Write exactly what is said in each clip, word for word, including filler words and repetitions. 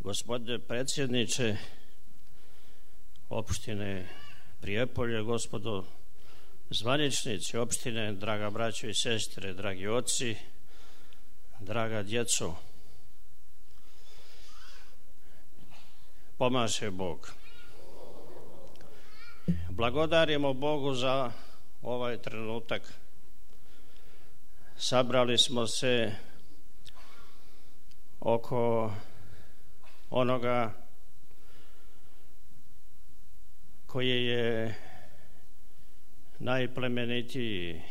Gospodine predsjedniče opštine Prijepolje, gospodo zvaničnici opštine, draga braćo i sestre, dragi oci, draga djeco, pomaže Bog. Blagodarimo Bogu za ovaj trenutak. Sabrali smo se oko onoga koji je najplemenitiji,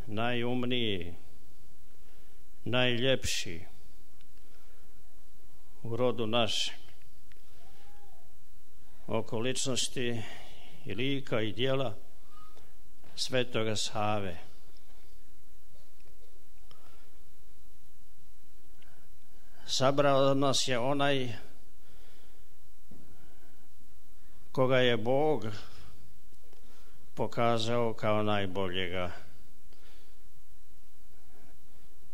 najumniji, najljepši u rodu našem, oko ličnosti i lika i djela Svetoga Save. Sabrao nas je onaj koga je Bog pokazao kao najboljega,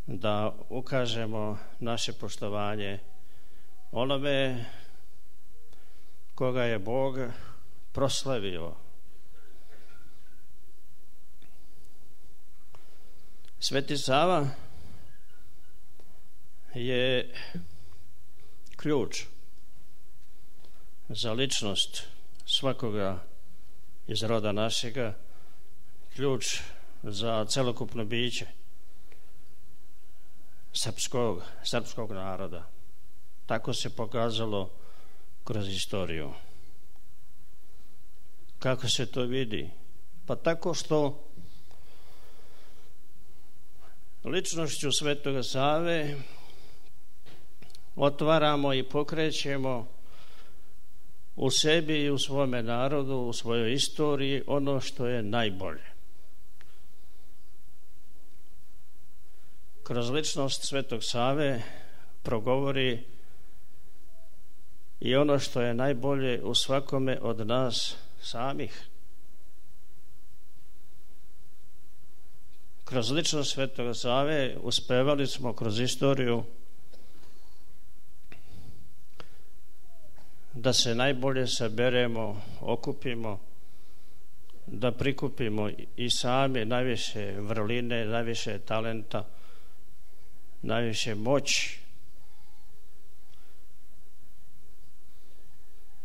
da ukažemo naše poštovanje onome koga je Bog proslavio. Sveti Sava je ključ za ličnost svakoga iz roda našega, ključ za celokupno biće srpskog, srpskog naroda. Tako se pokazalo kroz istoriju. Kako se to vidi? Pa tako što ličnošću Svetoga Save otvaramo i pokrećemo u sebi i u svome narodu, u svojoj istoriji ono što je najbolje. Kroz ličnost Svetog Save progovori i ono što je najbolje u svakome od nas samih. Kroz ličnost Svetoga Save uspevali smo kroz istoriju da se najbolje saberemo, okupimo, da prikupimo i sami najviše vrline, najviše talenta, najviše moći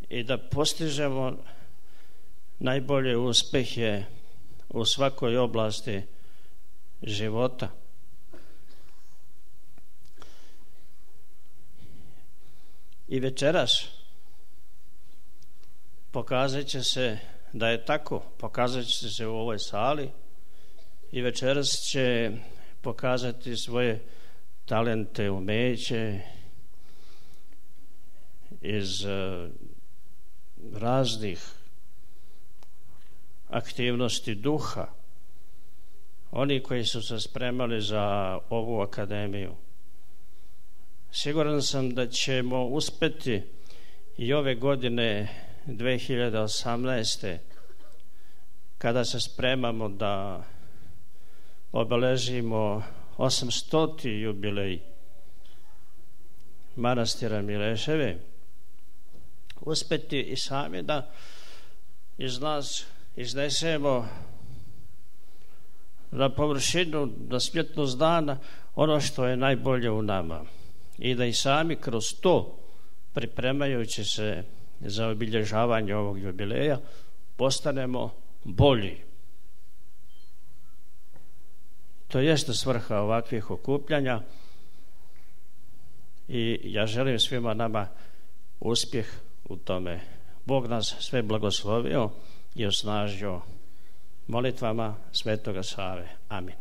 i da postižemo najbolje uspehe u svakoj oblasti života. I večeras pokazat će se da je tako, pokazat će se u ovoj sali i večeras će pokazati svoje talente, umeće iz uh, raznih aktivnosti duha, oni koji su se spremali za ovu akademiju. Siguran sam da ćemo uspeti i ove godine dve hiljade osamnaeste. kada se spremamo da obeležimo osamstoti jubilej manastira Mileševe, uspeti i sami da iz nas iznesemo na površinu, na svjetlost dana ono što je najbolje u nama i da i sami kroz to, pripremajući se za obilježavanje ovog jubileja, postanemo bolji. To jeste svrha ovakvih okupljanja i ja želim svima nama uspjeh u tome. Bog nas sve blagoslovio i osnažio molitvama Svetoga Save. Amin.